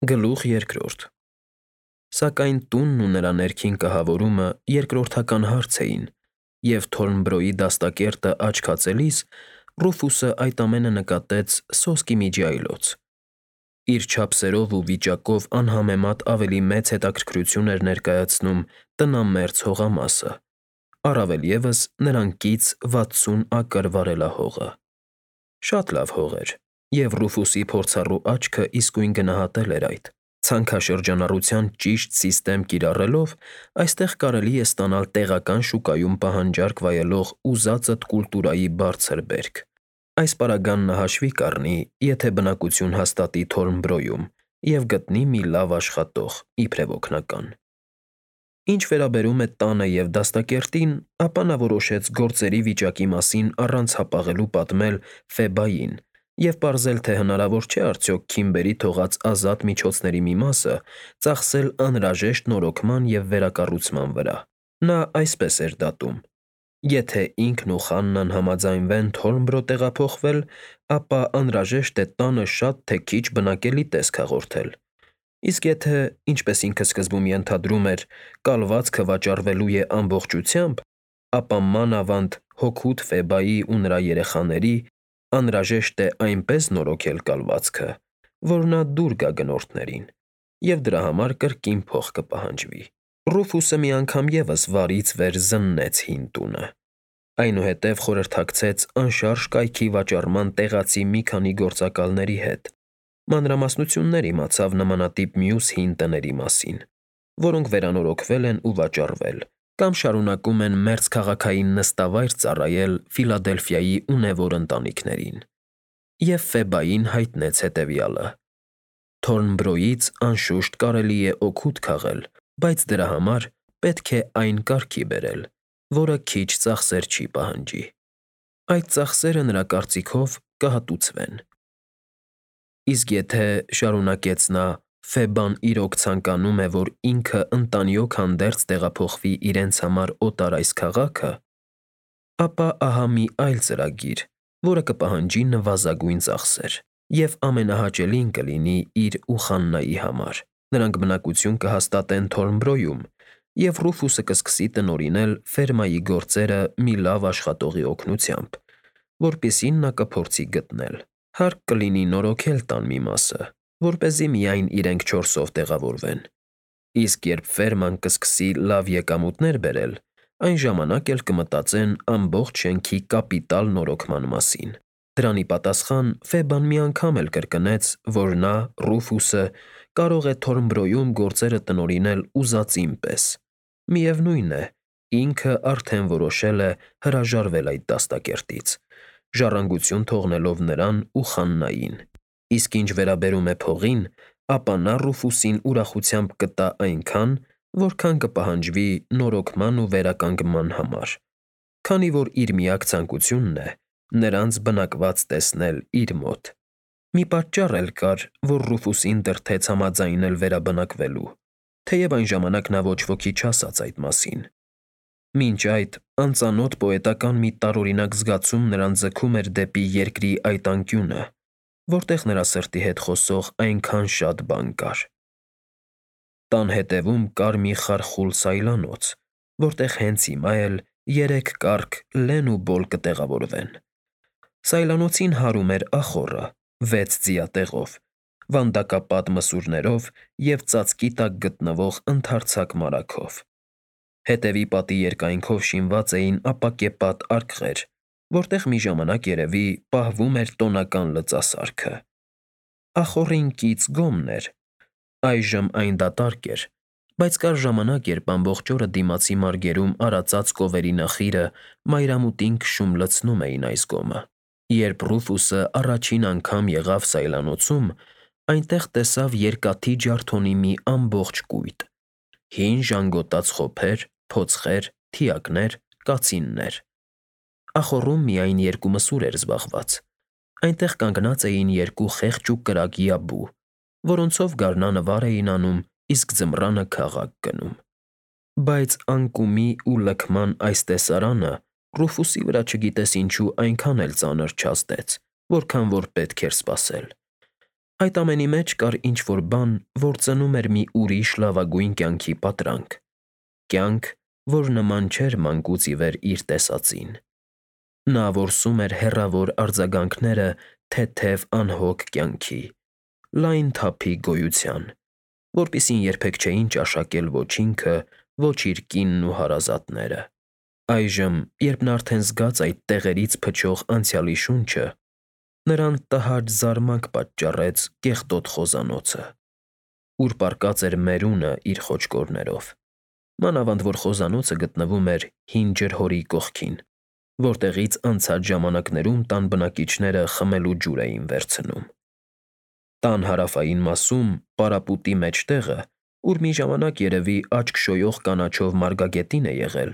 Գլուխ երկրորդ։ Սակայն տունն ու նրա ներքին կահավորումը երկրորդական հարց էին, և Թորնբրոյի դաստակերտը աչք հացելիս Ռուֆուսը այդ ամենը նկատեց սոսկի միջի այլոց. իր չափսերով ու վիճակով անհամեմատ ավելի մեծ հետաքրքրություն էր ներկայացնում տնամերձ հողամասը, առավել ևս նրան կից 60 ակր վարելահողը։ Շատ լավ հող էր, և Ռուֆուսի փորձառու աչքը իսկույն գնահատել էր այդ. ցանքաշրջանառության ճիշտ սիստեմ կիրառելով այստեղ կարելի է ստանալ տեղական շուկայում պահանջարկ վայելող ուզածդ կուլտուրայի բարձր բերք։ Այս պարագան նա հաշվի կառնի, եթե բնակություն հաստատի Թորնբրոյում և գտնի մի լավ աշխատող, իբրև օգնական։ Ինչ վերաբերում է տանը և դաստակերտին, ապա նա որոշեց գործերի վիճակի մասին առանց հապաղելու պատմել Ֆեբային և պարզել, թե հնարավոր չէ արդյոք Քիմբերի թողած ազատ միջոցների մի մասը ծախսել անհրաժեշտ նորոգման և վերակառուցման վրա։ Նա այսպես էր դատում. եթե ինքն ու Խաննան համաձայնվեն Թորնբրո տեղափոխվել, ապա անհրաժեշտ է տանը շատ թե քիչ բնակելի տեսք հաղորդել, իսկ եթե, ինչպես ինքը սկզբում ենթադրում էր, կալվածքը վաճառվելու է ամբողջությամբ, ապա մանավանդ հօգուտ Ֆեբայի ու նրա երեխաների անհրաժեշտ է այնպես նորոգել կալվածքը, որ նա դուր գա գնորդներին, և դրա համար կրկին փող կպահանջվի։ Ռուֆուսը մի անգամ ևս վարից վեր զննեց հին տունը, այնուհետև խորհրդակցեց անշարժ կայքի վաճառման տեղացի մի քանի գործակալների հետ, մանրամասնություններ իմացավ նմանատիպ մյուս հին տների մասին, որոնք վերանորոգվել են ու վաճառվել, կամ շարունակում են մերձքաղաքային նստավայր ծառայել Ֆիլադելֆիայի ունևոր ընտանիքներին, և Ֆեբային հայտնեց հետևյալը. Թորնբրոյից, անշուշտ, կարելի է օգուտ քաղել, բայց դրա համար պետք է այն կարգի բերել, որը քիչ ծախսեր չի պահանջի։ Այդ ծախսերը, նրա կարծիքով, կհատուցվեն։ Իսկ եթե, շարունակեց նա, Ֆեբան իրոք ցանկանում է, որ ինքը ընտանիոք հանդերձ տեղափոխվի իրենց համար օտար այս քաղաքը, ապա ահա մի այլ ծրագիր, որը կպահանջի նվազագույն ծախսեր, և ամենահաճելին կլինի իր ու Խաննայի համար։ Նրանք բնակություն կհաստատեն Թորնբրոյում, և Ռուֆուսը կսկսի տնօրինել ֆերմայի գործերը մի լավ աշխատողի օգնությամբ, որպեսզի նա կփորձի գտնել։ Հարկ կլինի նորոգել տան մի մասը, որպեսզի միայն իրենք 4-ով տեղավորվեն, իսկ երբ ֆերման կսկսի լավ եկամուտներ բերել, այն ժամանակ էլ կմտածեն ամբողջ շենքի կապիտալ նորոգման մասին։ Դրան ի պատասխան Ֆեբան մի անգամ էլ կրկնեց, որ նա՝ Ռուֆուսը, կարող է Թորնբրոյում գործերը տնօրինել ուզածին պես։ Միևնույն է, ինքը արդեն որոշել է հրաժարվել այդ դաստակերտից, ժառանգություն թողնելով նրան ու Խաննային, իսկ ինչ վերաբերում է փողին, ապա նա Ռուֆուսին ուրախությամբ կտա այնքան, որքան կպահանջվի նորոգման ու վերականգնման համար, քանի որ իր միակ ցանկությունն է նրանց բնակված տեսնել իր մոտ։ Մի պատճառ էլ կար, որ Ռուֆուսին դրդեց համաձայնել վերաբնակվելու, թեև այն ժամանակ նա ոչ ոքի չասաց այդ մասին։ Մինչ այդ անծանոթ պոետական մի տարօրինակ զգացում նրան ձգում էր դեպի երկրի այդ անկյունը, որտեղ նրա սրտի հետ խոսող այնքան շատ բան կար։ Տան հետևում կար մի խարխուլ սայլանոց, որտեղ հենց հիմա էլ 3 կառք լեն ու բոլ կտեղավորվեն։ Սայլանոցին հարում էր ախոռը 6 ձիատեղով, վանդակապատ մսուրներով և ծածկի տակ գտնվող ընդարձակ մարագով։ Հետևի պատի երկայնքով շինված էին ապակեպատ արկղեր, որտեղ մի ժամանակ, երևի, պահվում էր տոնական լծասարքը։ Ախոռին կից գոմն էր, այժմ այն դատարկ էր, բայց կար ժամանակ, երբ ամբողջ օրը դիմացի մարգերում արածած կովերի նախիրը մայրամուտին քշում լցնում էին այս գոմը։ Երբ Ռուֆուսը առաջին անգամ եղավ սայլանոցում, այնտեղ տեսավ երկաթի ջարդոնի մի ամբողջ կույտ՝ հին ժանգոտած խոփեր, փոցխեր, թիակներ, կացիններ։ Ախոռում միայն 2 մսուր էր զբաղված։ Այնտեղ կանգնած էին 2 խեղճ ու կրակ յաբու, որոնցով գարնանը վար էին անում, իսկ ձմռանը քաղաք գնում։ Բայց անկումի ու լքման այս տեսարանը Ռուֆուսի վրա չգիտես ինչու այնքան էլ ծանր չազդեց, որքան որ պետք էր սպասել։ Այդ ամենի մեջ կար ինչ-որ բան, որ ծնում էր մի ուրիշ լավագույն կյանքի պատրանք, կյանք, որ նման չէր մանկուց ի վեր իր տեսածին։ Նա որսում էր հեռավոր արձագանքները թեթև անհոգ կյանքի, լայն թափի գոյության, որպիսին երբեք չէին ճաշակել ոչ ինքը, ոչ իր կինն ու հարազատները։ Այժմ, երբ նա արդեն զգաց այդ տեղերից փչող անցյալի շունչը, նրան տհաճ զարմանք պատճառեց կեղտոտ խոզանոցը, ուր պառկած էր մերունը իր խոճկորներով, մանավանդ որ խոզանոցը գտնվում էր հին ջրհորի կողքին, որտեղից անցած ժամանակներում տան բնակիչները խմելու ջուր էին վերցնում։ Տան հարավային մասում, պարապուտի մեջտեղը, ուր մի ժամանակ երևի աչք շոյող կանաչով մարգագետին է եղել,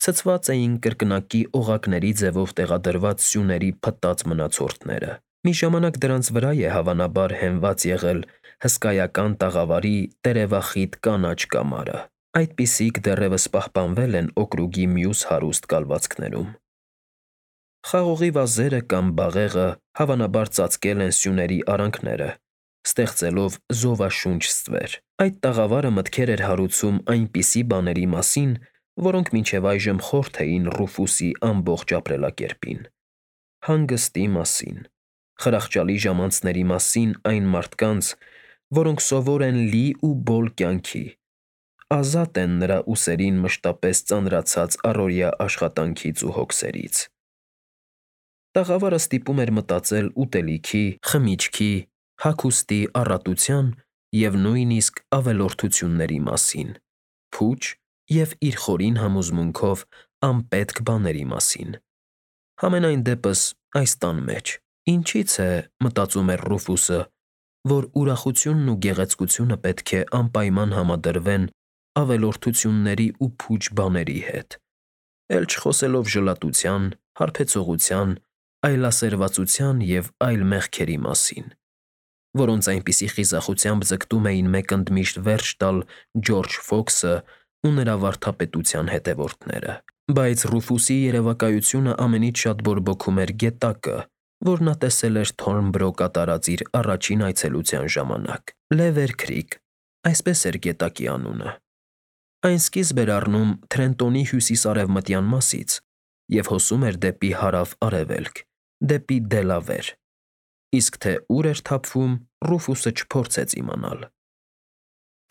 ցցված էին կրկնակի օղակների ձևով տեղադրված սյուների փտած մնացորդները։ Մի ժամանակ դրանց վրա է հավանաբար հենված եղել հսկայական տաղավարի տերևախիտ կանաչ կամարը։ Այդպիսիք դեռևս պահպանվել են օկրուգի մյուս հարուստ կալվածքներում։ Խաղողի վազերը կամ բաղեղը հավանաբար ծածկել են սյուների արանքները, ստեղծելով զովաշունչ ստվեր։ Այդ տաղավարը մտքեր էր հարուցում այնպիսի բաների մասին, որոնք մինչև այժմ խորթ էին Ռուֆուսի ամբողջ ապրելակերպին։ Հանգստի մասին, խրախճալի ժամանցների մասին այն մարդկանց, որոնք սովոր են լի ու բոլ կյանքի, ազատ են նրա ուսերին մշտապես ծանրացած առօրյա աշխատանքից ու հոգսերից։ Տաղավարը ստիպում էր մտածել ուտելիքի, խմիչքի, հագուստի առատության և նույնիսկ ավելորդությունների մասին, փուչ և իր խորին համոզմունքով անպետք բաների մասին։ Համենայն դեպս այս տան մեջ, ինչի՞ց է, մտածում էր Ռուֆուսը, որ ուրախությունն ու գեղեցկությունը պետք է անպայման համադրվեն ավելորդությունների ու փուչ բաների հետ, էլ չխոսելով ժլատության, հարբեցողության, այլասերվածության և այլ մեղքերի մասին, որոնց այնպիսի խիզախությամբ ձգտում էին մեկընդմիշտ վերջ տալ Ջորջ Ֆոքսը ու նրա վարդապետության հետևորդները։ Բայց Ռուֆուսի երևակայությունը ամենից շատ բորբոքում էր գետակը, որ նա տեսել էր Թորնբրո կատարած իր առաջին այցելության ժամանակ։ Լևեր Քրիք, այսպես էր գետակի անունը։ Այն սկիզբ էր առնում Թրենտոնի հյուսիս֊արևմտյան մասից և հոսում էր դեպի հարավ֊արևելք, դեպի Դելավեր, իսկ թե ուր էր թափվում, Ռուֆուսը չփորձեց իմանալ։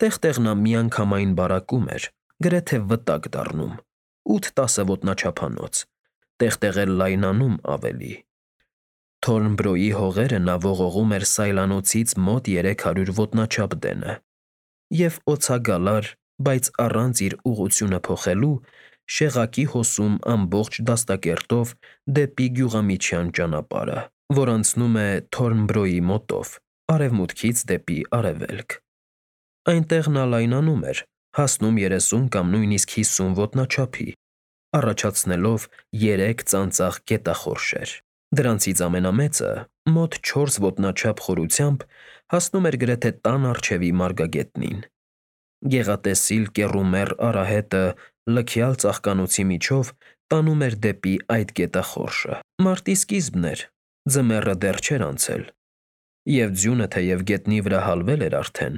Տեղ-տեղ նա միանգամայն բարակում էր, գրեթե վտակ դառնում, 8-10 ոտնաչափանոց, տեղ-տեղ էլ լայնանում ավելի։ Թորնբրոյի հողերը նա ողողում էր սայլանոցից մոտ 300 ոտնաչափ դենը և օցագալար, բայց առանց իր ուղղությունը փոխելու, շեղակի հոսում ամբողջ դաստակերտով դեպի գյուղամիջյան ճանապարհը, որ անցնում է Թորնբրոյի մոտով, արևմուտքից դեպի արևելք։ Այնտեղ նա լայնանում էր, հասնում 30 կամ նույնիսկ 50 ոտնաչափի, առաջացնելով 3 ծանծաղ գետախորշեր։ Դրանցից ամենամեծը, մոտ 4 ոտնաչափ խորությամբ, հասնում էր գրեթե տան առջևի մարգագետնին։ Գեղատեսիլ կեռումեռ արահետը լքյալ ծաղկանոցի միջով տանում էր դեպի այդ գետախորշը։ Մարտի սկիզբն էր, ձմեռը դեռ չէր անցել, և ձյունը թեև գետնի վրա հալվել էր արդեն,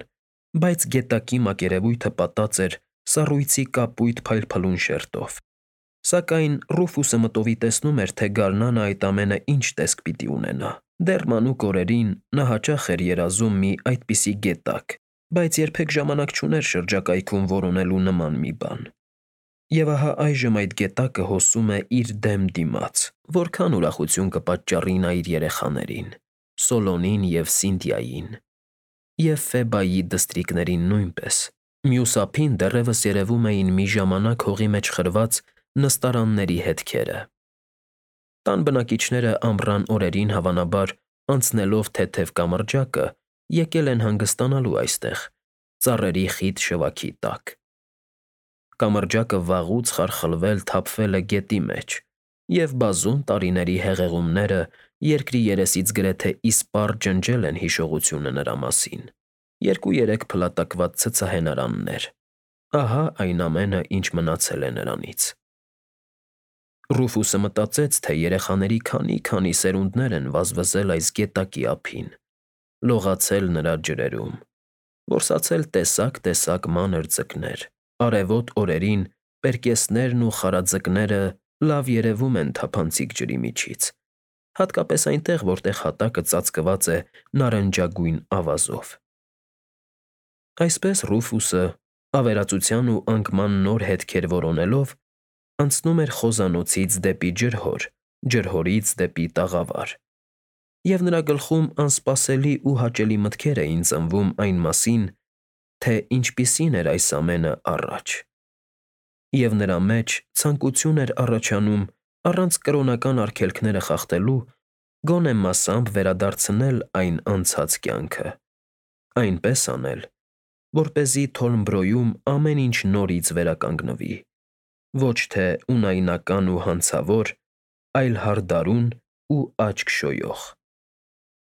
բայց գետակի մակերևույթը պատած էր սառույցի կապույտ փայլփլուն շերտով։ Սակայն Ռուֆուսը մտովի տեսնում էր, թե գարնանը այդ ամենը ինչ տեսք պիտի ունենա։ Դեռ մանուկ օրերին նա հաճախ էր երազում մի այդպիսի գետակ, բայց երբեք ժամանակ չուներ շրջակայքում որոնելու նման մի բան։ Եվ ահա այժմ այդ գետակը հոսում է իր դեմ դիմաց, որքան ուրախություն կպատճառի նա իր երեխաներին՝ Սոլոնին և Սինթիային, և Ֆեբայի դստրիկներին նույնպես։ Մյուս ափին դեռևս երևում էին մի ժամանակ հողի մեջ խրված նստարանների հետքերը։ Տան բնակիչները ամռան օրերին հավանաբար, անցնելով թեթև կամրջակը, եկել են հանգստանալու այստեղ, ծառերի խիտ շվաքի տակ։ Կամրջակը վաղուց խարխլվել թափվել է գետի մեջ, և բազում տարիների հեղեղումները երկրի երեսից գրեթե իսպառ ջնջել են հիշողությունը նրա մասին։ 2-3 փլատակված ցցահենարաններ։ Ահա այն ամենը, ինչ մնացել է նրանից։ Ռուֆուսը մտածեց, թե երեխաների քանի սերունդներ են վազվզել այս գետակի ափին, լողացել նրա ջրերում, որսացել տեսակ մանր ձկներ։ Արևոտ օրերին պերկեսներն ու խարաձկները լավ երևում են թափանցիկ ջրի միջից, հատկապես այնտեղ, որտեղ հատակը ծածկված է նարնջագույն ավազով։ Այսպես Ռուֆուսը, ավերածության ու անկման նոր հետքեր որոնելով, անցնում էր խոզանոցից դեպի ջրհոր, ջրհորից դեպի տաղավար, և նրա գլխում անսպասելի ու հաճելի մտքեր էին ծնվում այն մասին, թե ինչպիսին էր այս ամենը առաջ, և նրա մեջ ցանկություն էր առաջանում առանց կրոնական արգելքները խախտելու գոնե մասամբ վերադարձնել այն անցած կյանքը, այնպես անել, որպեսզի Թորնբրոյում ամեն ինչ նորից վերականգնվի, ոչ թե ունայնական ու հանցավոր, այլ հարդարուն ու աչք շոյող։